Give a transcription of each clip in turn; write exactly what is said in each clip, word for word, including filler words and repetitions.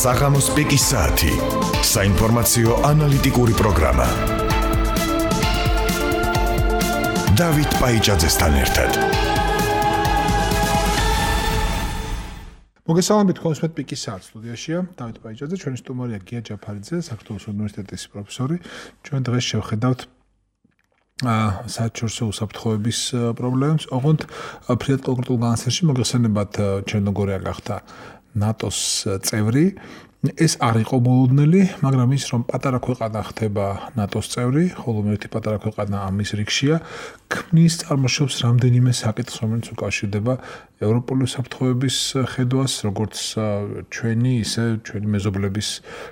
საღამოს პიკის საათი. საინფორმაციო ანალიტიკური პროგრამა. დავით პაიჭაძესთან ერთად. მოგესალმებით თქვენს პიკის საათს სტუდიაშია დავით პაიჭაძე, ჩვენი სტუმარია გია ჯაფარიძე, საქართველოს უნივერსიტეტის პროფესორი. ჩვენ დღეს შევხედავთ საერთაშორისო უსაფრთხოების პრობლემებს. ოღონდ ფრიად კონკრეტულ განსახიერში მოგეხსენებათ, ჩერნოგორია გახდა ნატოს წევრი. ეს არ იყო მოლოდნელი, მაგრამ ის რომ პატარა ქვეყანა ხდება ნატოს წევრი, ხოლო ერთი პატარა ქვეყანა ამის რიგშია, ქმნის წარმოშობს რამდენიმე საკითხს, რომელიც უკავშირდება ევროპული უსაფრთხოების ხედვას, როგორც ჩვენი, ისე ჩვენი მეზობლების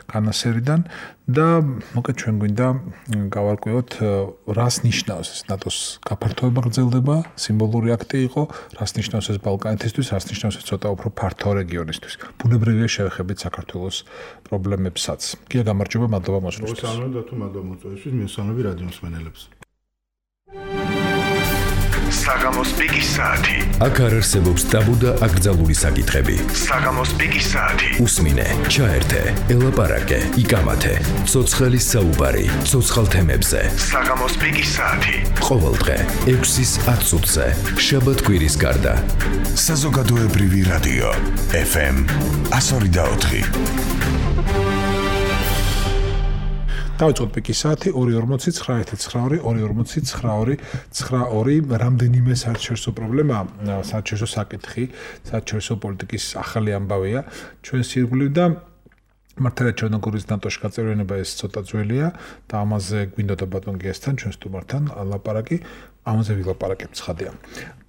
განასერიდან და მოკლედ ჩვენ გვინდა გავარკვევოთ, რას ნიშნავს ეს ნატოს გაფართოება გრძელდება, სიმბოლური აქტი იყო, რას ნიშნავს ეს ბალკანეთისთვის, რას ნიშნავს ეს ცოტა უფრო ფართო რეგიონისთვის. ბუნებრივია შევეხებით საქართველოს პრობლემებსაც. გია გამარჯობა, მადლობა მოსვლისთვის. მოგესალმებით და თუ მადლობა მოწვევისთვის, მისვანები რადიო მსმენელებს. საღამოს პიკის საათი. აქ არ არსებობს ტაბუ და აკრძალული საკითხები. საღამოს პიკის საათი. უსმინე, ჩაერთე, ელაპარაკე, იკამათე. ცოცხალი საუბარი, ცოცხალ თემებზე. საღამოს პიკის საათი. ყოველდღე ექვსის ათ წუთზე, შაბათ-კვირის გარდა. საზოგადოებრივი რადიო ეფ ემ one oh four. დავიწყოთ პიკის საათი ორი ორმოცი ცხრა ერთი ცხრა ორი ორი ორმოცი ცხრა ორი ცხრა ორი. რამდენიმე საერთაშორისო პრობლემა, საერთაშორისო საკითხი, საერთაშორისო პოლიტიკის ახალი ამბავია ჩვენს ირგვლივ და მართალია ჩერნოგორიის ნატოში გაწევრიანება ეს ცოტა ძველია და ამაზე გვინდოდა ბატონ გიასთან, ჩვენ სტუმართან ლაპარაკი, ამაზე ვილაპარაკებ ცხადია.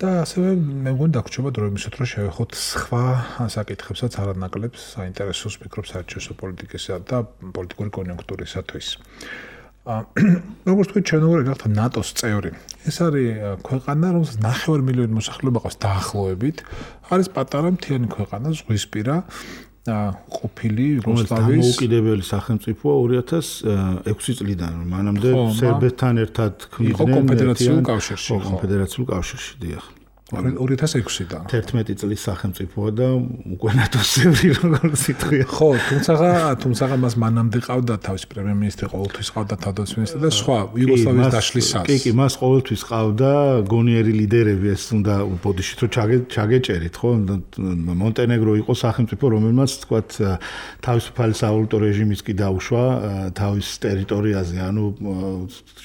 და ასევე მე მგონი დაგვრჩება დრო იმისოთ, რომ შევეხოთ სხვა საკითხებსაც არანაკლებს საინტერესოს ფიქრობს საერთაშორისო პოლიტიკისა და პოლიტიკური კონიუნქტურისათვის. როგორც თქვი, ჩერნოგორია გახდა ნატოს წევრი. ეს არის ქვეყანა, რომელსაც ნახევარ მილიონი მოსახლეობა ყავს დაახლოებით. არის პატარა მთიანი ქვეყანა, ზღვისპირა. ყოფილი იუგოსლავიის დამოუკიდებელი სახელმწიფოა ორი ათას ექვსი წლიდან, მანამდე სერბეთთან ერთად ქმნიდნენ კონფედერაციულ კავშირში. კონფედერაციულ კავშირში, დიახ. ორი ათას ექვსიდან. თერთმეტი წლის სახელმწიფოა და უკვე ნატოს წევრი, როგორც ითქვია. ხო, თუმცა თუმცა მას მანამდე ყავდა თავის პრემიერ-მინისტრი, ყოველთვის ყავდა თავდაცვის მინისტრი და სხვა იუგოსლავიის დაშლისას. კი, კი, მას ყოველთვის ყავდა გონიერი ლიდერები, ეს უნდა ბოდიშით რომ ჩაგეჭერით, ხო? მონტენეგრო იყო სახელმწიფო, რომელმაც თქვათ თავისუფალი სავალუტო რეჟიმიც კი დაუშვა თავის ტერიტორიაზე, ანუ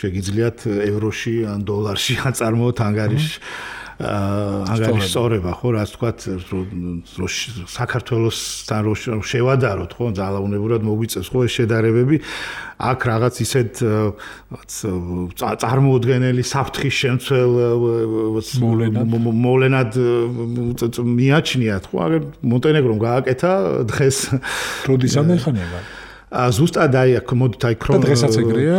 შეგიძლიათ ევროში ან დოლარში აწარმოოთ ანგარიში. ანგარიშ სწორება, ხო, რაც თქვათ, საქართველოსთან რო შევადაროთ, ხო, ძალაუნებურად მოგვიწევს, ხო, ეს შედარებები. აქ რაღაც ისეთ წარმოუდგენელი საფრთხის შემცველ მოვლენად მიაჩნიათ, ხო, აგერ მონტენეგრომ გააკეთა დღეს. როდის ამეხანება? ზუსტად აი აქ მოდით აი ქრონ დღესაც ეგრეა?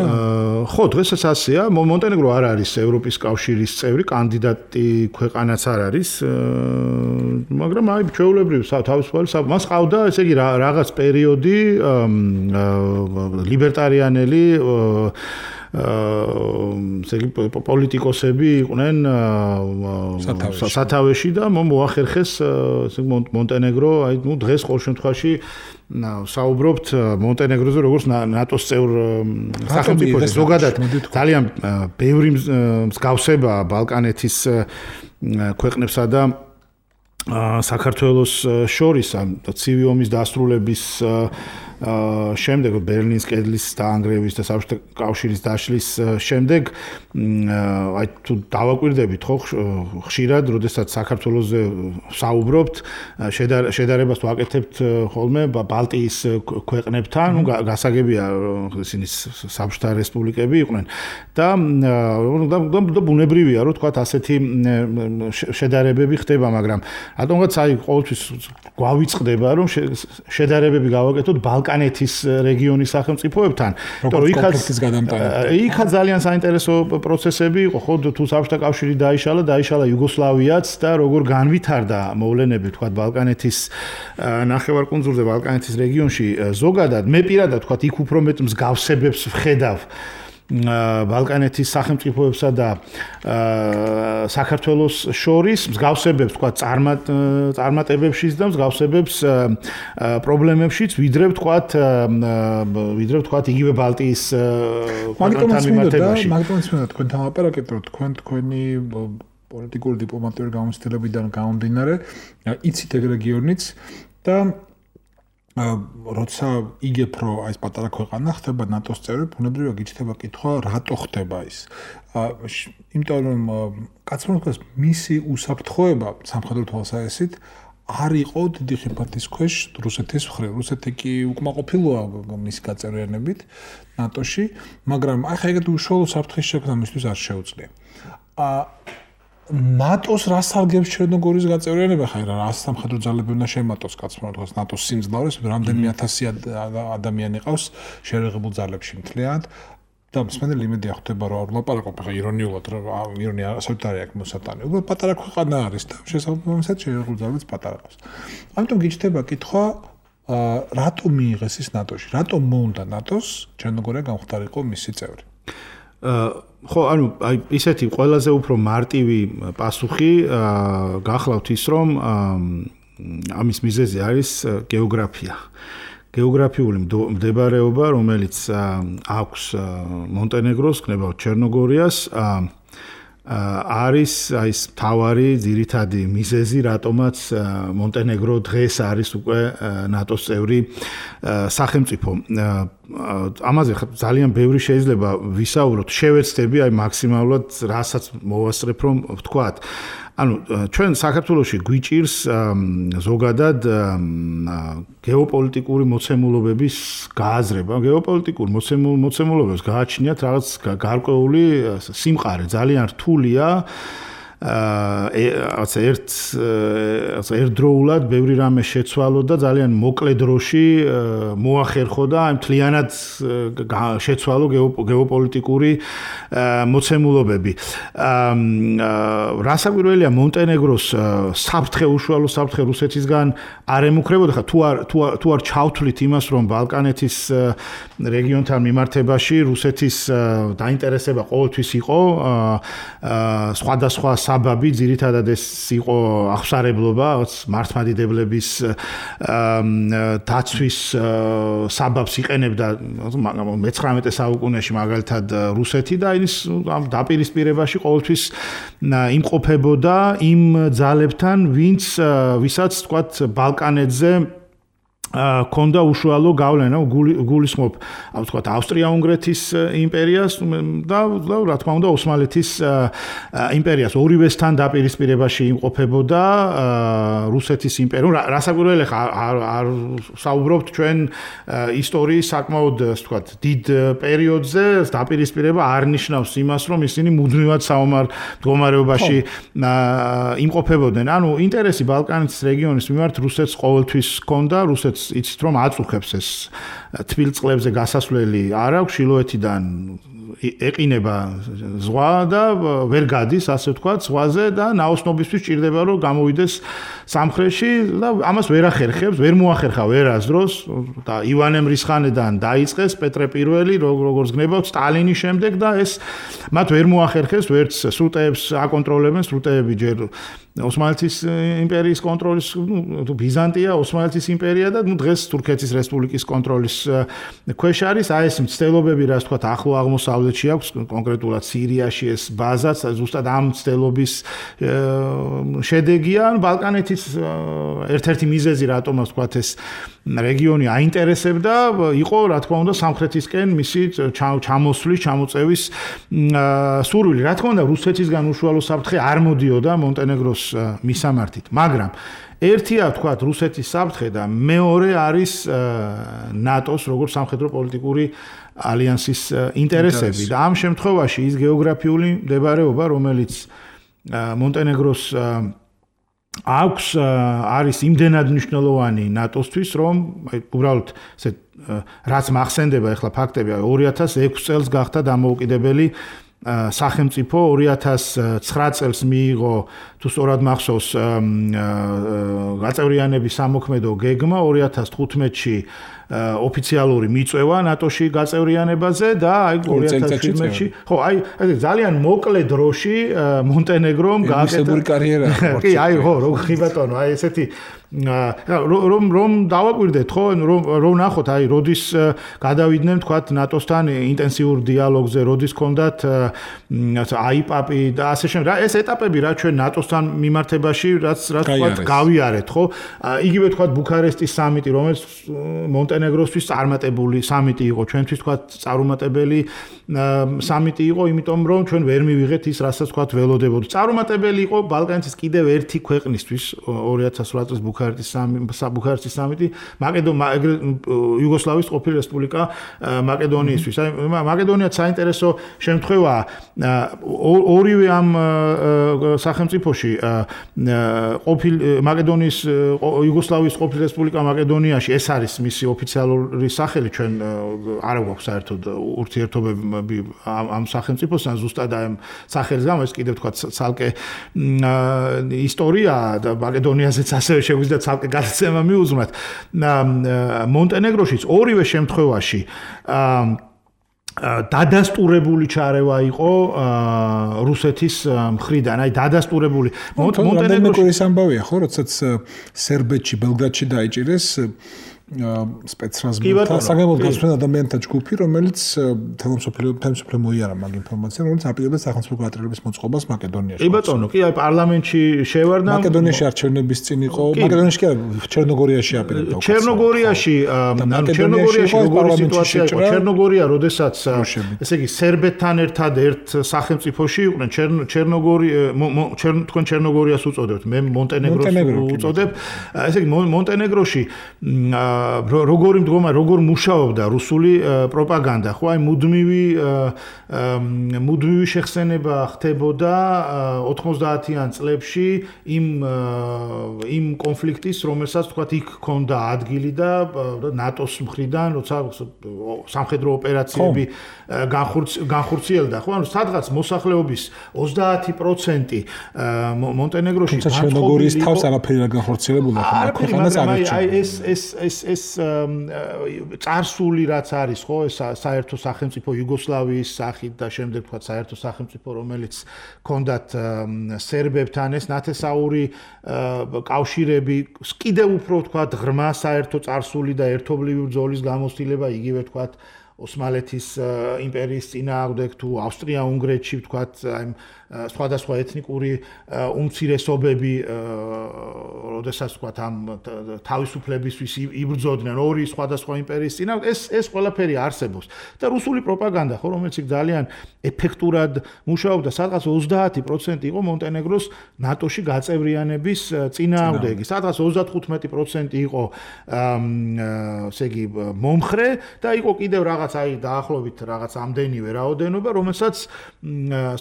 ხო, დღესაც ასეა. მონტენეგრო არ არის ევროპის კავშირის წევრი, კანდიდატი ქვეყანაც არ არის, მაგრამ აი ჩვეულებრივ თავისუფალი მას ყავდა, ესე იგი რაღაც პერიოდი ლიბერტარიანელი ესე იგი პოლიტიკოსები იყვნენ სათავეში და მოახერხეს მონტენეგრო, აი ნუ დღეს ყოველ შემთხვევაში საუბრობთ მონტენეგროზე როგორც ნატოს წევრ სახელმწიფოზე. ზოგადად ძალიან ბევრი მსგავსება ბალკანეთის ქვეყნებსა და საქართველოს შორის ცივი ომის დასრულების შემდეგ, ბერლინის კედლის დაანგრევის და საბჭოთა კავშირის დაშლის შემდეგ, აი თუ დავაკვირდებით, ხო, ხშირად, როდესაც საქართველოზე საუბრობთ, შედარებას ვაკეთებთ ხოლმე ბალტიის ქვეყნებთან, ნუ გასაგებია, ისინი საბჭოთა რესპუბლიკები იყვნენ და ბუნებრივია, რომ თქვათ ასეთი შედარებები ხდება, მაგრამ რატომღაც აი ყოველთვის გვავიწყდება, რომ შედარებები გავაკეთოთ ბალკანეთის რეგიონის სახელმწიფოებთან, იმიტომ რომ კონფლიქტის გადამტანი. იქაც ძალიან საინტერესო პროცესები იყო, ხო, თუ საბჭოთა კავშირი დაიშალა, დაიშალა იუგოსლავიაც და როგორ განვითარდა მოვლენები, თქვათ, ბალკანეთის ნახევარკუნძულზე, ბალკანეთის რეგიონში ზოგადად, მე პირადად, თქვათ, იქ უფრო მეტ მსგავსებებს ვხედავ ბალკანეთის სახელმწიფოებსა და საქართველოს შორის მსგავსებებს თქვა წარმატებებშიც და მსგავსებებს პრობლემებშიც ვიდრე თქვა ვიდრე თქვა იგივე ბალტიის ქვეყნებთან მიმართებაში. მაგიტომაც მინდა თქვენ თამაპარაკეთ რომ თქვენ თქვენი პოლიტიკური დიპლომატიური გამოცდილებიდან გამომდინარე იცით ეგ რეგიონიც და როცა იგებ რომ აი ეს პატარა ქვეყანა ხდება ნატოს წევრი, ბუნებრივია გიჩნდება კითხვა, რატო ხდება ის. იმიტომ რომ კაცმოდგას მისი უსაფრთხოება სამხედრო თვალსაზრისით არ იყო დიდი ხიფათის ქვეშ რუსეთის მხრივ. რუსეთი კი უკმაყოფილოა მის გაწევრიანებით ნატოში, მაგრამ აი ხა ეგეთი უშუალო საფრთხის შექმნა მისთვის არ შეუძლია. ნატოს რას სარგებს ჩერნოგორის გაწევრიანება ხა რა სამხედრო ძალები უნდა შემატოს კაცმოდგას ნატოს სიმძლავრეს რამდენიმე ათასი ადამიანი ყავს შერეღებულ ძალებში მთლიანად და მსმენელი იმედი ახდება რომ არ ვლაპარაკობ ხა ირონიულად რომ ირონია საერთოდ არ აქვს მოსატანი. უბრალოდ პატარა ქვეყანა არის და შესაბამისად შერეღებულ ძალებს პატარა ყავს. ამიტომ გიჩნდება კითხვა რატომ მიიღეს ის ნატოში? რატომ მოუნდა ნატოს ჩერნოგორია გამختارიყო მისი წევრი? ხო, ანუ აი ისეთი ყველაზე უფრო მარტივი პასუხი გახლავთ ის რომ ამის მიზეზი არის გეოგრაფია. გეოგრაფიული მდებარეობა, რომელიც აქვს მონტენეგროს, კნებავთ ჩერნოგორიას, არის აი ეს თავარი ძირითადი მიზეზი, რატომაც მონტენეგრო დღეს არის უკვე ნატოს წევრი სახელმწიფო. ამაზე ძალიან ბევრი შეიძლება ვისაუბროთ, შევეცდები აი მაქსიმალურად რასაც მოვასწრებ რომ ვთქვათ. ანუ ჩვენ საქართველოში გვიჭირს ზოგადად გეოპოლიტიკური მოცემულობების გააზრება. გეოპოლიტიკურ მოცემულობებს გააჩნიათ რაღაც გარკვეული სიმყარე, ძალიან რთულია აა ერთ ერთდროულად ბევრი რამე შეცვალო და ძალიან მოკლე დროში მოახერხო და აი მთლიანად შეცვალო გეოპოლიტიკური მოცემულობები. აა რასაკვირველია მონტენეგროს საფრთხე უშუალო საფრთხე რუსეთისგან არ ემუქრებოდა ხა თუ არ თუ არ ჩავთვლით იმას რომ ბალკანეთის რეგიონთან მიმართებაში რუსეთის დაინტერესება ყოველთვის იყო აა სხვადასხვა საბაბი ძირითადად ეს იყო აღსარებლობა მართლმადიდებლების დაცვის საბაბს იყენებდა მეცხრამეტე საუკუნეში მაგალითად რუსეთი და ის ამ დაპირისპირებაში ყოველთვის იმყოფებოდა იმ ძალებთან ვინც ვისაც თქვათ ბალკანეთზე კონდა უშუალო გავლენა გულისხმობ ამ თქვათ ავსტრია-უნგრეთის იმპერიას და რა თქმა უნდა ოსმალეთის იმპერიას ორივესთან დაპირისპირებაში იმყოფებოდა რუსეთის იმპერია. რასაკვირველია არ საუბრობთ ჩვენ ისტორიის საკმაოდ თქვათ დიდ პერიოდზე დაპირისპირება არ ნიშნავს იმას რომ ისინი მუდმივად საომარ მდგომარეობაში იმყოფებოდნენ. ანუ ინტერესი ბალკანეთის რეგიონის მიმართ რუსეთს ყოველთვის ჰქონდა, რუსეთს იცით რომ აწუხებს ეს თბილ წყლებზე გასასვლელი არ აქვს შილოეთიდან ეყინება ზღვა და ვერ გადის ასე ვთქვათ ზღვაზე და ნაოსნობისთვის ჭირდება რომ გამოვიდეს სამხრეთში და ამას ვერ ახერხებს, ვერ მოახერხა ვერასდროს და ივანე მრისხანედან დაიწყეს პეტრე პირველი როგორც გნებავთ სტალინის შემდეგ და ეს მათ ვერ მოახერხეს ვერც სრუტეებს აკონტროლებენ სრუტეები ჯერ ოსმალეთის იმპერიის კონტროლის ნუ ბიზანტია, ოსმალეთის იმპერია და ნუ დღეს თურქეთის რესპუბლიკის კონტროლის ქვეშ არის. აი ეს მცდელობები რაც თქვათ ახლო აღმოსავლეთში აქვს, კონკრეტულად სირიაში ეს ბაზაც ზუსტად ამ მცდელობის შედეგია. ბალკანეთის ერთ-ერთი მიზეზი რატომაც თქვათ ეს რეგიონი აინტერესებდა იყო რა თქმა უნდა სამხრეთისკენ მისი ჩამოსვლის, ჩამოწევის სურვილი. რა თქმა უნდა რუსეთისგან უშუალო საფრთხე არ მოდიოდა მონტენეგროს მისამართით, მაგრამ ერთია თქვათ რუსეთის საფრთხე და მეორე არის ნატოს როგორც სამხედრო პოლიტიკური ალიანსის ინტერესები და ამ შემთხვევაში ის გეოგრაფიული მდებარეობა რომელიც მონტენეგროს აქვს არის იმდენად მნიშვნელოვანი ნატოსთვის რომ აი უბრალოდ ესე რაც მახსენდება ახლა ფაქტები ორი ათას ექვსი წელს გახდა დამოუკიდებელი სახელმწიფო ორი ათას ცხრა წელს მიიღო თუ სწორად მახსოვს გაწევრიანების სამოქმედო გეგმა ორი ათას თხუთმეტში ოფიციალური მიწვევა ნატოში გაწევრიანებაზე და აი ორი ათას შვიდმეტში ხო აი ძალიან მოკლე დროში მონტენეგრომ გააკეთა კარიერა კი აი ხო როგორ ბატონო აი ესეთი რომ რომ დავაკვირდეთ ხო რომ რომ ნახოთ აი როდის გადავიდნენ თქვათ ნატოსთან ინტენსიურ დიალოგზე როდის კონდათ აიპაპი და ასე შემდეგ რა ეს ეტაპები რა ჩვენ ნატოსთან მიმართებაში რაც რაც თქვათ გავიარეთ ხო იგივე თქვათ ბუქარესტის სამიტი რომელიც მონტენეგროსთვის წარმატებული სამიტი იყო ჩვენთვის თქვათ წარუმატებელი სამიტი იყო იმიტომ რომ ჩვენ ვერ მივიღეთ ის რასაც თქვათ ველოდებოდა წარუმატებელი იყო ბალკანეთის კიდევ ერთი ქვეყნისთვის ორი ათას ოთხ წლის ბუქარესტის ბუქარესტის სამიტი იუგოსლავიის ყოფილი რესპუბლიკა მაკედონიისთვის აი მაკედონიაც საინტერესო შემთხვევაა ორივე ამ სახელმწიფოში ყოფილი მაკედონიის იუგოსლავიის ყოფილი რესპუბლიკა მაკედონიაში ეს არის მისი ოფიციალური სახელი ჩვენ არ გვაქვს საერთოდ ურთიერთობები ამ სახელმწიფოსთან ზუსტად ამ სახელის გამო ეს კიდევ თქვა ცალკე ისტორია და მაკედონიაზეც ასევე შეგვიძლია ცალკე გადაცემა მიუძღვნათ მონტენეგროშიც ორივე შემთხვევაში დადასტურებული ჩარევა იყო რუსეთის მხრიდან აი დადასტურებული მონტენეგროს ამბავია ხო როდესაც სერბეთში ბელგრადში დაიჭირეს სპეცრაზმთა საგამო გასვენ ადამიანთა ჯგუფი რომელიც თემსოფლიო თემსოფლიო მოიარა მაგ ინფორმაციას რომელიც აპირებდა სახელმწიფო გატრიალების მოწყობას მაკედონიაში. კი ბატონო, კი აი პარლამენტში შევარდა მაკედონიაში არჩევნების წინ იყო მაკედონიაში კი ჩერნოგორიაში აპირებდა. ჩერნოგორიაში ანუ ჩერნოგორიაში როგორი სიტუაცია იყო? ჩერნოგორია, როდესაც ესე იგი სერბეთთან ერთად ერთ სახელმწიფოში იყვნენ ჩერნოგორი თქვენ ჩერნოგორიას უწოდებთ, მე მონტენეგროს უწოდებ. ესე იგი მონტენეგროში როგორი მდგომა როგორ მუშაობდა რუსული პროპაგანდა ხო აი მუდმივი მუდმივი შეხსენება ხდებოდა ოთხმოცდაათიან წლებში იმ იმ კონფლიქტის რომელსაც თქვა იქ ქონდა ადგილი და ნატოს მხრიდან როცა სამხედრო ოპერაციები განხორციელდა ხო ანუ სადღაც მოსახლეობის ოცდაათი პროცენტი მონტენეგროში ჩერნოგორიის თავს არაფერი არ განხორციელებულა ხო ქვეყანას აი ეს ეს ეს ეს წარსული რაც არის ხო ეს საერთო სახელმწიფო იუგოსლავიის სახით და შემდეგ თქვა საერთო სახელმწიფო რომელიც ჰქონდათ სერბებთან ეს ნათესაური კავშირები კიდევ უფრო თქვა ღრმა საერთო წარსული და ერთობლივი ბრძოლის გამოცდილება იგივე თქვა ოსმალეთის იმპერიის წინააღმდეგ თუ ავსტრია-უნგრეთში თქვა აი სხვადასხვა ეთნიკური უმცირესობები როდესაც თქვა ამ თავისუფლებისთვის იბრძოდნენ ორი სხვადასხვა იმპერიის წინააღმდეგ ეს ეს ყველაფერი არსებობს და რუსული პროპაგანდა ხო რომელიც ძალიან ეფექტურად მუშაობდა სადღაც ოცდაათი პროცენტი იყო მონტენეგროს ნატოში გაწევრიანების წინააღმდეგი სადღაც ოცდათხუთმეტი პროცენტი იყო ესე იგი მომხრე და იყო კიდევ რაღაც აი დაახლოებით რაღაც ამდენივე რაოდენობა რომელსაც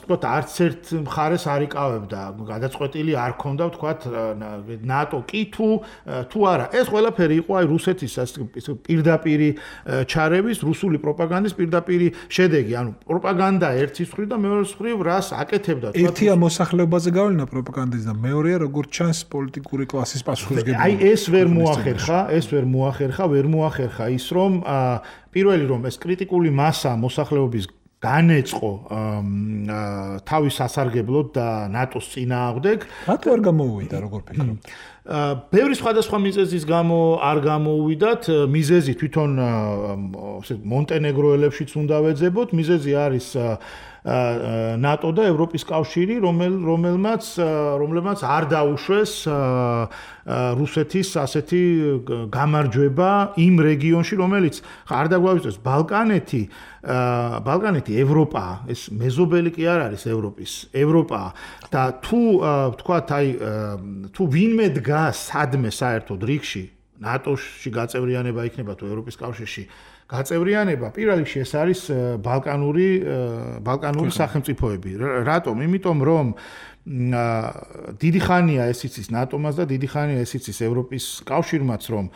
თქვა არც ერთ მხარეს არ იკავებდა გადაწყვეტილი არ ქონდა ვთქვათ ნატო კი თუ თუ არა ეს ყველაფერი იყო აი რუსეთის პირდაპირი ჩარევის რუსული პროპაგანდის პირდაპირი შედეგი ანუ პროპაგანდა ერთის მხრივ და მეორეს მხრივ რას აკეთებდა თქვათ ერთია მოსახლეობაზე გავლენა პროპაგანდის და მეორეა როგორც ჩანს პოლიტიკური კლასის პასუხისმგებლობა აი ეს ვერ მოახერხა ეს ვერ მოახერხა ვერ მოახერხა ის რომ პირველი რომ ეს კრიტიკული მასა მოსახლეობის განეწყო თავის სასარგებლოდ და ნატოს წინააღმდეგ. რატო არ გამოუვიდა როგორ ფიქრობთ? ბევრი სხვადასხვა მიზეზის გამო არ გამოუვიდათ. მიზეზი თვითონ მონტენეგროელებშიც უნდა ვეძებოთ. მიზეზი არის ნატო და ევროპის კავშირი, რომელ რომელმაც რომლებმაც არ დაუშვეს რუსეთის ასეთი გამარჯვება იმ რეგიონში, რომელიც არ დაგვაუშვეს ბალკანეთი, ბალკანეთი ევროპაა, ეს მეზობელი კი არ არის ევროპის, ევროპაა და თუ ვთქვათ, აი თუ ვინმე დგას სადმე საერთოდ რიგში, ნატოში გაწევრიანება იქნება თუ ევროპის კავშირში გაწევრიანება, პირველ რიგში ეს არის ბალკანური ბალკანური სახელმწიფოები. რატომ? იმიტომ რომ დიდი ხანია ეს იცის ნატომას და დიდი ხანია ეს იცის ევროპის კავშირმაც რომ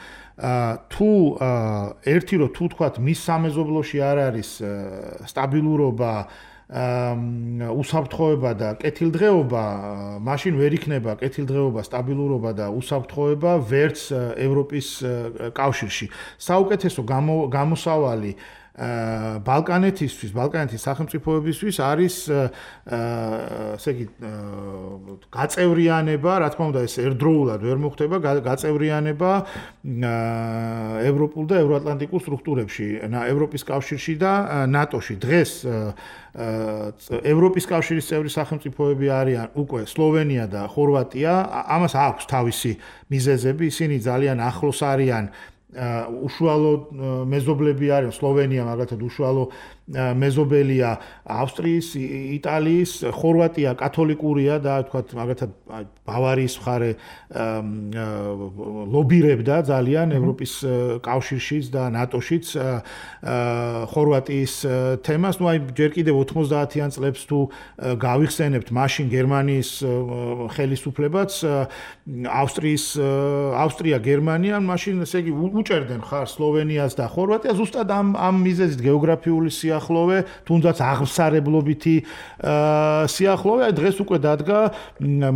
თუ ერთი რო თუ თქვათ მის სამეზობლოში არ არის სტაბილურობა უსაფრთხოება და კეთილდღეობა, მაშინ ვერ იქნება კეთილდღეობა, სტაბილურობა და უსაფრთხოება ვერც ევროპის კავშირში. საუკეთესო გამოსავალი ბალკანეთისთვის, ბალკანეთის სახელმწიფოებისთვის არის ესე იგი გაწევრიანება, რა თქმა უნდა, ეს ერთდროულად ვერ მოხდება, გაწევრიანება ევროპულ და ევროატლანტიკულ სტრუქტურებში, ევროპის კავშირში და ნატოში. დღეს ევროპის კავშირის წევრი სახელმწიფოები არიან უკვე სლოვენია და ხორვატია, ამას აქვს თავისი მიზეზები, ისინი ძალიან ახლოს არიან უშუალო მეზობლები არიან სლოვენია მაგალითად უშუალო მეზობელია ავსტრიის, იტალიის, ხორვატია კათოლიკურია და თქვათ მაგალითად ბავარიის მხარე ლობირებდა ძალიან ევროპის კავშირშიც და ნატოშიც ხორვატიის თემას. ნუ აი ჯერ კიდევ ოთხმოცდაათიან წლებს თუ გავიხსენებთ, მაშინ გერმანიის ხელისუფლებაც ავსტრიის ავსტრია გერმანია მაშინ ესე იგი უჭერდნენ ხარ სლოვენიას და ხორვატიას ზუსტად ამ ამ მიზეზით გეოგრაფიული სიახლოვე, თუნდაც აღმსარებლობითი სიახლოვე. აი დღეს უკვე დადგა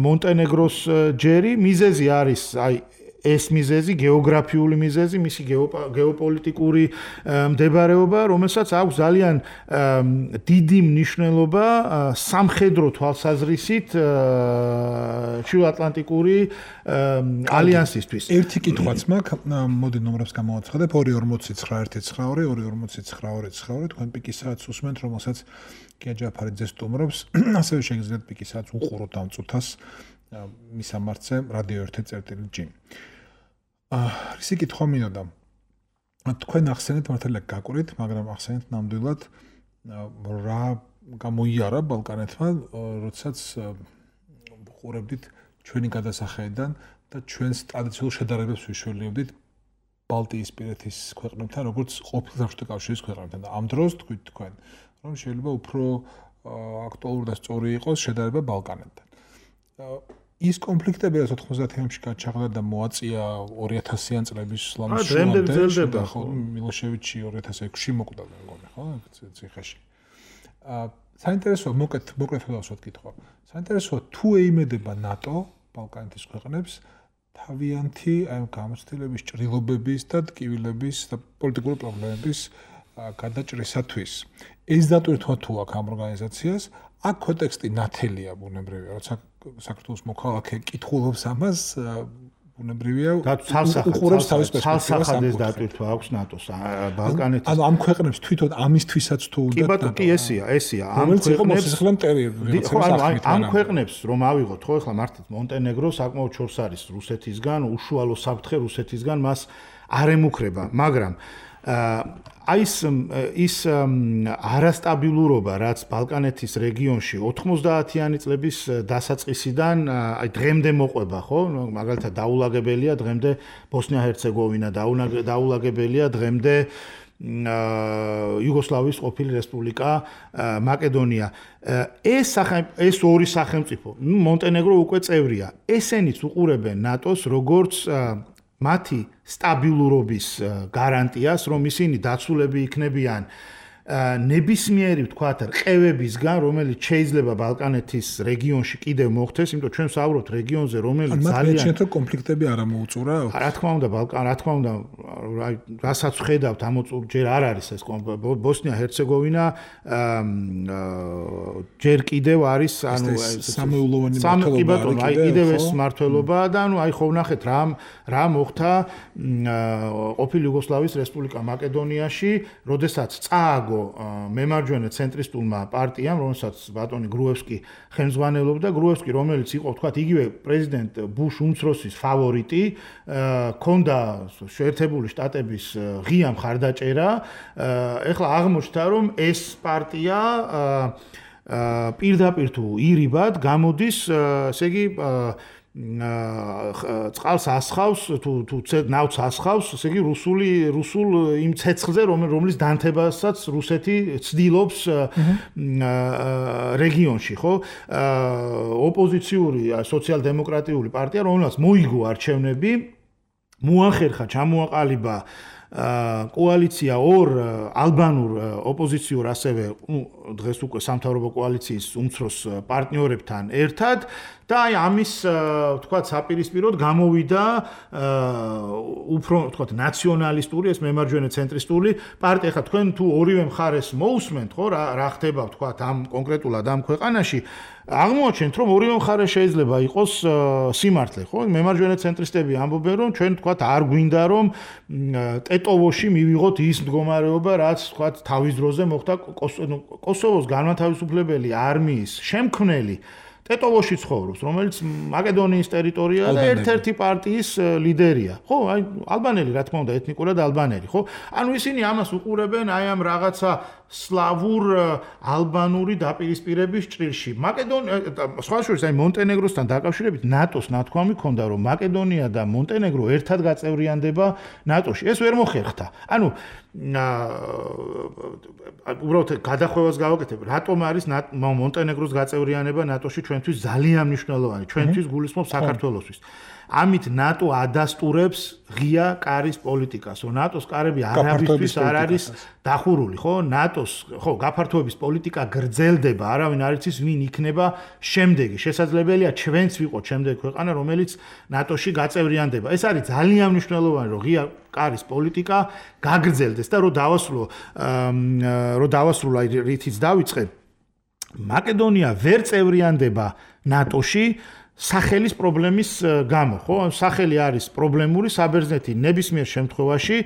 მონტენეგროს ჯერი, მიზეზი არის აი ეს მიზეზი, გეოგრაფიული მიზეზი, მისი გეოპოლიტიკური მდებარეობა, რომელსაც აქვს ძალიან დიდი მნიშვნელობა სამხედრო თვალსაზრისით ჩრდილოატლანტიკური ალიანსისთვის. ერთი კითხვაც მაქვს, მოდი ნომრებს გამოვაცხადებ, ორი ორმოცდაცხრა ერთი ცხრაორი, ორი ორმოცდაცხრა ორი ცხრაორი, თქვენ პიკის საათს უსმენთ, რომელსაც გია ჯაფარიძე სტუმრობს, ასევე შეგიძლიათ პიკის საათს უყუროთ ამ წუთას მის ამარცხე რადიო ერთი წერტილი ჯი. აა ისი კითხვა მინდოდა. თქვენ ახსენეთ მართალია გაკვრით, მაგრამ ახსენეთ ნამდვილად რა გამოიარა ბალკანეთმა, როდესაც ვუყურებდით ჩვენი გადასახედიდან და ჩვენს ტრადიციულ შედარებებს ვიშველიებდით ბალტიისპირეთის ქვეყნებთან, როგორც ყოფილ საბჭოთა კავშირის ქვეყნებთან. და ამ დროს თქვით თქვენ, რომ შეიძლება უფრო აქტუალური და სწორი იყოს შედარება ბალკანეთთან. ის კონფლიქტები, რაც ოთხმოცდაათიანებში გაჩაღდა და მოაწია ორი ათასიან წლების სლამის შუამდე, ხო, მილოშევიჩი ორი ათას ექვსში მოკვდა, მეგონი, ხო, ციხეში. აა საინტერესოა, მოკეთ, მოკლედ დავსვათ კითხვა. საინტერესოა, თუ ეიმედება ნატო ბალკანეთის ქვეყნებს თავიანთი აი გამოცდილების, ჭრილობების და ტკივილების და პოლიტიკური პრობლემების გადაჭრისათვის. ეს დატვირთვა თუ აქვს ამ ორგანიზაციას, აქ კონტექსტი ნათელია ბუნებრივია, როცა საქართველოს მოქალაქე კითხულობს ამას, ბუნებრივია, უყურებს თავის პერსპექტივას. ცალსახად დატვირთვა აქვს ნატოს ბალკანეთის. ანუ ამ ქვეყნებს თვითონ ამისთვისაც თუ უნდა. კი ბატონო, კი ესია, ესია. ამ ქვეყნებს ამ ქვეყნებს რომ ავიღოთ, ხო, ახლა მართლაც მონტენეგრო საკმაოდ შორს არის რუსეთისგან, უშუალო საფრთხე რუსეთისგან მას არ ემუქრება, მაგრამ აი ის ის არასტაბილურობა, რაც ბალკანეთის რეგიონში ოთხმოცდაათიანი წლების დასაწყისიდან აი დღემდე მოყვება, ხო? მაგალითად დაულაგებელია დღემდე ბოსნია-ჰერცეგოვინა, დაულაგებელია დღემდე იუგოსლავიის ყოფილი რესპუბლიკა მაკედონია. ეს ეს ორი სახელმწიფო, მონტენეგრო უკვე წევრია. ესენიც უყურებენ ნატოს როგორც მათი სტაბილურობის გარანტიას, რომ ისინი დაცულები იქნებიან ნებისმიერი ვთქვათ რყევებისგან, რომელიც შეიძლება ბალკანეთის რეგიონში კიდევ მოხდეს, იმიტომ ჩვენ ვსაუბრობთ რეგიონზე, რომელიც ძალიან ძალიან რომ კონფლიქტები არ ამოუწურა. რა თქმა უნდა, ბალკან, რა თქმა უნდა, რასაც ხედავთ, ამოწურ ჯერ არ არის ეს ბოსნია-ჰერცეგოვინა, ჯერ კიდევ არის, ანუ სამეულოვანი მმართველობა, აი კიდევ ეს მმართველობა და ანუ აი ხო ვნახეთ რა რა მოხდა ყოფილი იუგოსლავიის რესპუბლიკა მაკედონიაში, როდესაც წააგო მემარჯვენე ცენტრისტულმა პარტიამ, რომელსაც ბატონი გრუევსკი ხელმძღვანელობდა, გრუევსკი, რომელიც იყო, თქვათ, იგივე პრეზიდენტ ბუშ უმცროსის ფავორიტი, ქონდა შეერთებული შტატების ღია მხარდაჭერა. ეხლა აღმოჩნდა, რომ ეს პარტია პირდაპირ თუ ირიბად გამოდის, ესე იგი წყალს ასხავს თუ თუ ნავთს ასხავს, ესე იგი რუსული რუსულ იმ ცეცხლზე, რომლის დანთებასაც რუსეთი ცდილობს რეგიონში, ხო? ოპოზიციური სოციალ-დემოკრატიული პარტია, რომელსაც მოიგო არჩევნები, მოახერხა, ჩამოაყალიბა კოალიცია ორ ალბანურ ოპოზიციურ ასევე დღეს უკვე სამთავრობო კოალიციის უმცროს პარტნიორებთან ერთად და აი ამის თქვათ საპირისპიროდ გამოვიდა უფრო თქვათ ნაციონალისტური ეს მემარჯვენე ცენტრისტული პარტია. ხა თქვენ თუ ორივე მხარეს მოусმენთ ხო რა რა ხდება თქვათ ამ კონკრეტულად ამ ქვეყანაში აღმოაჩენთ რომ ორივე მხარე შეიძლება იყოს სიმართლე ხო მემარჯვენე ცენტრისტები ამბობენ რომ ჩვენ თქვათ არ გვინდა რომ ტეტოვოში მივიღოთ ის მდგომარეობა რაც თქვათ თავის დროზე მოხდა კოსოვოს განმათავისუფლებელი არმიის შემქმნელი ტეტოვოში ცხოვრობს, რომელიც მაკედონიის ტერიტორია და ერთ-ერთი პარტიის ლიდერია. ხო, აი ალბანელი, რა თქმა უნდა, ეთნიკურად ალბანელი, ხო? ანუ ისინი ამას უყურებენ აი ამ რაღაცა სლავურ ალბანური დაპირისპირების ჭრილში. მაკედონია, სხვა შორის აი მონტენეგროსთან დაკავშირებით ნატოს ნათქვამი ქონდა, რომ მაკედონია და მონტენეგრო ერთად გაწევრიანდება ნატოში. ეს ვერ მოხერხდა. ანუ უბრალოდ გადახვევას გავაკეთებ, რატომ არის მონტენეგროს გაწევრიანება ნატოში ჩვენთვის ძალიან მნიშვნელოვანი, ჩვენთვის გულისხმობს საქართველოსთვის. ამით ნატო ადასტურებს ღია კარის პოლიტიკას. ნატოს კარები არაბისთვის არ არის დახურული, ხო? ნატოს, ხო, გაფართოების პოლიტიკა გრძელდება, არავინ არ იცის ვინ იქნება შემდეგი. შესაძლებელია ჩვენც ვიყოთ შემდეგი ქვეყანა, რომელიც ნატოში გაწევრიანდება. ეს არის ძალიან მნიშვნელოვანი, რომ ღია კარის პოლიტიკა გაგრძელდეს და რომ დავასრულო, რომ დავასრულო აი რითიც დავიწყე. მაკედონია ვერ წევრიანდება ნატოში სახელის პრობლემის გამო, ხო? სახელი არის პრობლემური საბერძნეთი ნებისმიერ შემთხვევაში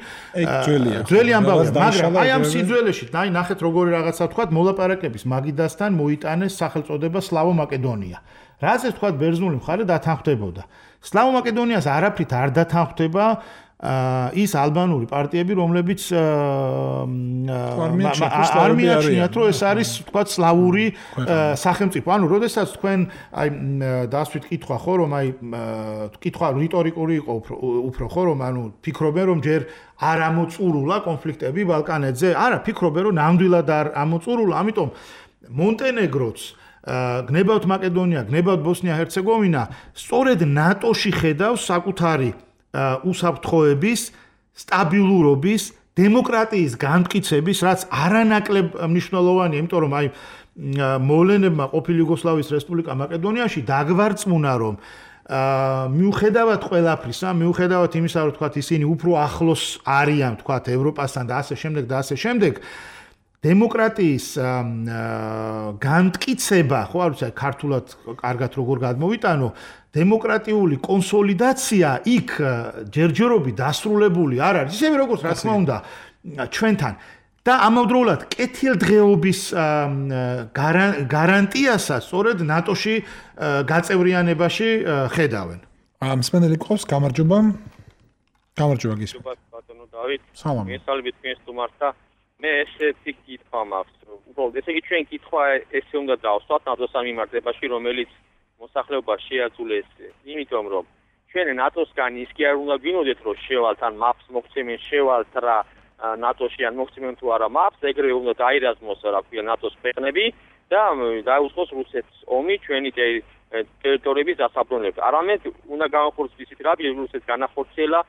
ძველი ამბავია, მაგრამ აი ამ სიძველეში, აი ნახეთ როგორი რაღაცა თქვა, მოლაპარაკების მაგიდასთან მოიტანეს სახელწოდება სლავო მაკედონია. რაზეც თქვა ბერძნული მხარე დათანხმდებოდა. სლავო მაკედონიას არაფრით არ დათანხმდება ის ალბანური პარტიები, რომლებიც არ მიაჩნიათ, რომ ეს არის თქვა სლავური სახელმწიფო. ანუ როდესაც თქვენ აი დასვით კითხვა ხო, რომ აი კითხვა რიტორიკული იყო უფრო ხო, რომ ანუ ფიქრობენ, რომ ჯერ არ ამოწურულა კონფლიქტები ბალკანეთზე. არა, ფიქრობენ, რომ ნამდვილად არ ამოწურულა, ამიტომ მონტენეგროც გნებავთ მაკედონია, გნებავთ ბოსნია-ჰერცეგოვინა, სწორედ ნატოში ხედავს საკუთარი უსაფრთხოების, სტაბილურობის, დემოკრატიის განმტკიცების, რაც არანაკლებ მნიშვნელოვანია, იმიტომ რომ აი მოვლენებმა ყოფილი იუგოსლავიის რესპუბლიკა მაკედონიაში დაგვარწმუნა, რომ მიუხედავად ყველაფრისა, მიუხედავად იმისა, რომ თქვათ ისინი უფრო ახლოს არიან, თქვათ ევროპასთან და ასე შემდეგ და ასე შემდეგ, დემოკრატიის განმტკიცება, ხო არ ვიცი, ქართულად კარგად როგორ გადმოვიტანო, დემოკრატიული კონსოლიდაცია იქ ჯერჯერობით დასრულებული არ არის, ისევე როგორც რა თქმა უნდა ჩვენთან და ამავდროულად კეთილდღეობის გარანტიასაც სწორედ ნატოში გაწევრიანებაში ხედავენ. მსმენელი ყავს, გამარჯობა. გამარჯობა გისმენთ. ბატონო დავით. სალამი. მესალმებით თქვენს სტუმართა. მე ესეთი კითხვა მაქვს. უბრალოდ ესე იგი ჩვენ კითხვა ესე უნდა დავსვათ ნატოს მიმართებაში, რომელიც მოსახლეობა შეაძულეს, იმიტომ რომ ჩვენ ნატოსგან ის კი არ უნდა გვინოდეთ, რომ შევალთ ან მაპს მოგცემენ შევალთ რა ნატოში ან მოგცემენ თუ არა მაპს, ეგრევე უნდა დაირაზმოს რა ქვია ნატოს ქვეყნები და დაუწყოს რუსეთს ომი ჩვენი ტერიტორიების დასაბრუნებლად. არამედ უნდა განახორციელოს ისეთ რა რუსეთს განახორციელა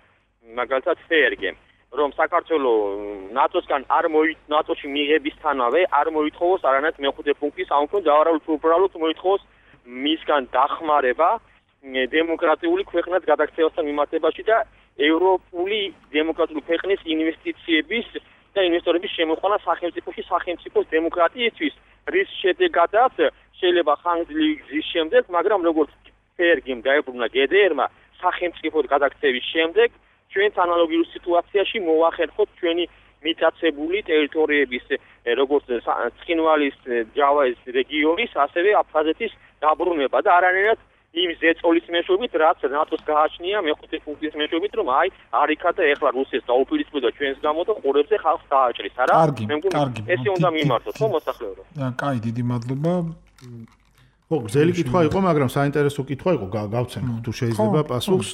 მაგალითად ფერგემ, რომ საქართველოს ნატოსგან არ მოი ნატოში მიღებისთანავე არ მოითხოვოს არანაირ მეხუთე პუნქტის ამ უფრო უბრალოდ მოითხოვოს მისგან დახმარება დემოკრატიული ქვეყნად გადაქცევასთან მიმართებაში და ევროპული დემოკრატიული ქვეყნის ინვესტიციების და ინვესტორების შემოყვანა სახელმწიფოში სახელმწიფოს დემოკრატიისთვის, რის შედეგადაც შეიძლება ხანგრძლივი გზის შემდეგ, მაგრამ როგორც ფერგემ დაებრუნა გე დე ერმა სახელმწიფოდ გადაქცევის შემდეგ ჩვენც ანალოგიურ სიტუაციაში მოვახერხოთ ჩვენი მიტაცებული ტერიტორიების როგორც ცხინვალის ჯავაის რეგიონის, ასევე აფხაზეთის დაბრუნება და არანაირად იმ ზეწოლის მეშვეობით, რაც ნატოს გააჩნია მეხუთე პუნქტის მეშვეობით, რომ აი არიქა და ეხლა რუსეთს დაუპირისპირდა ჩვენს გამო და ყურებზე ხალხს დააჭრის, არა? მე მგონი ესე უნდა მიმართოთ, ხო მოსახლეობა? კაი, დიდი მადლობა. ხო, გზელი კითხვა იყო, მაგრამ საინტერესო კითხვა იყო, გავცემ თუ შეიძლება პასუხს.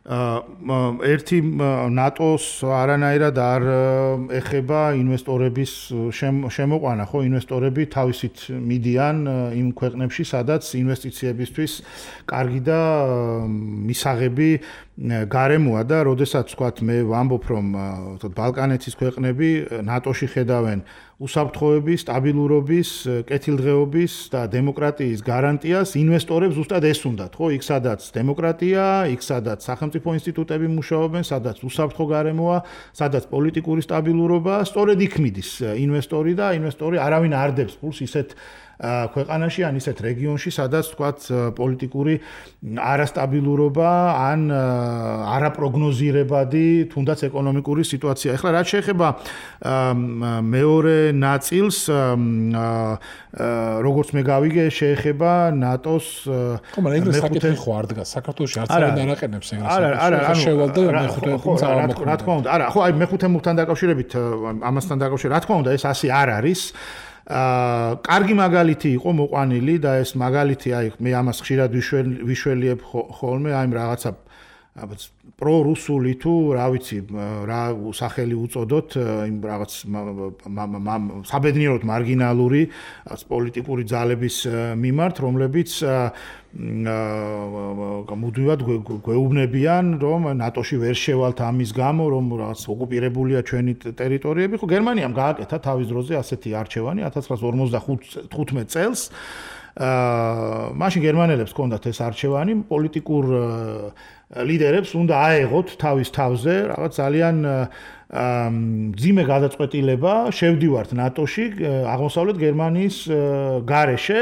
ერთი ნატოს არანაირად არ ეხება ინვესტორების შემოყვანა, ხო, ინვესტორები თავისით მიდიან იმ ქვეყნებში, სადაც ინვესტიციებისთვის კარგი და მისაღები გარემოა და როდესაც ვთქვათ მე ვამბობ რომ ბალკანეთის ქვეყნები ნატოში ხედავენ უსაფრთხოების, სტაბილურობის, კეთილდღეობის და დემოკრატიის გარანტიას, ინვესტორებს ზუსტად ეს უნდათ, ხო? იქ სადაც დემოკრატია, იქ სადაც სახელმწიფო ინსტიტუტები მუშაობენ, სადაც უსაფრთხო გარემოა, სადაც პოლიტიკური სტაბილურობა, სწორედ იქ მიდის ინვესტორი და ინვესტორი არავინ არ დებს ფულს ისეთ ქვეყანაში ან ისეთ რეგიონში, სადაც თქვათ პოლიტიკური არასტაბილურობა ან არაპროგნოზირებადი, თუნდაც ეკონომიკური სიტუაცია. ეხლა რაც შეეხება მეორე ნაწილს, როგორც მე გავიგე, შეეხება ნატოს ხო, მაგრამ ეგრე საკითხი ხო არ დგას. საქართველოში არც არ არაყენებს ეგრე. არა, არა, ანუ შევალდა მეხუთე პუნქტს ამოქმედა. რა თქმა უნდა, არა, ხო, აი მეხუთე პუნქტთან დაკავშირებით, ამასთან დაკავშირებით, რა თქმა უნდა, ეს ასე არ არის. აა კარგი მაგალითი იყო მოყვანილი და ეს მაგალითი აი მე ამას ხშირად ვიშველიებ ხოლმე აი რაღაცა პრორუსული თუ რა ვიცი რა სახელი უწოდოთ იმ რაღაც საბედნიეროდ მარგინალური პოლიტიკური ძალების მიმართ რომლებიც მუდმივად გვეუბნებიან რომ ნატოში ვერ შევალთ ამის გამო რომ რაღაც ოკუპირებულია ჩვენი ტერიტორიები ხო გერმანიამ გააკეთა თავის დროზე ასეთი არჩევანი ათას ცხრაასი ორმოცდახუთმეტ წელს აა მაშინ გერმანელებს ჰქონდათ ეს არჩევანი პოლიტიკურ ლიდერებს უნდა აეღოთ თავის თავზე რაღაც ძალიან ძიმე გადაწყვეტილება შევდივართ ნატოში აღმოსავლეთ გერმანიის გარეშე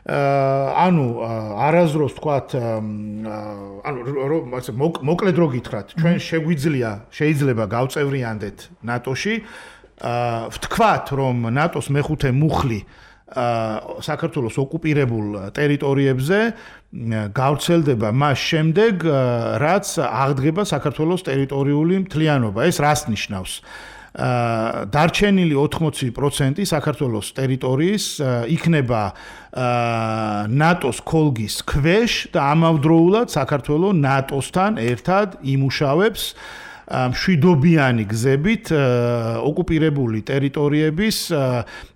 ანუ არაზროს თქვათ ანუ მოკლედ რო გითხრათ ჩვენ შეგვიძლია შეიძლება გავწევრიანდეთ ნატოში ვთქვათ რომ ნატოს მეხუთე მუხლი საქართველოს ოკუპირებულ ტერიტორიებზე გავრცელდება მას შემდეგ რაც აღდგება საქართველოს ტერიტორიული მთლიანობა ეს რას ნიშნავს დარჩენილი ოთხმოცი პროცენტი საქართველოს ტერიტორიის იქნება ნატოს ქოლგის ქვეშ და ამავდროულად საქართველო ნატოსთან ერთად იმუშავებს მშვიდობიანი გზებით ოკუპირებული ტერიტორიების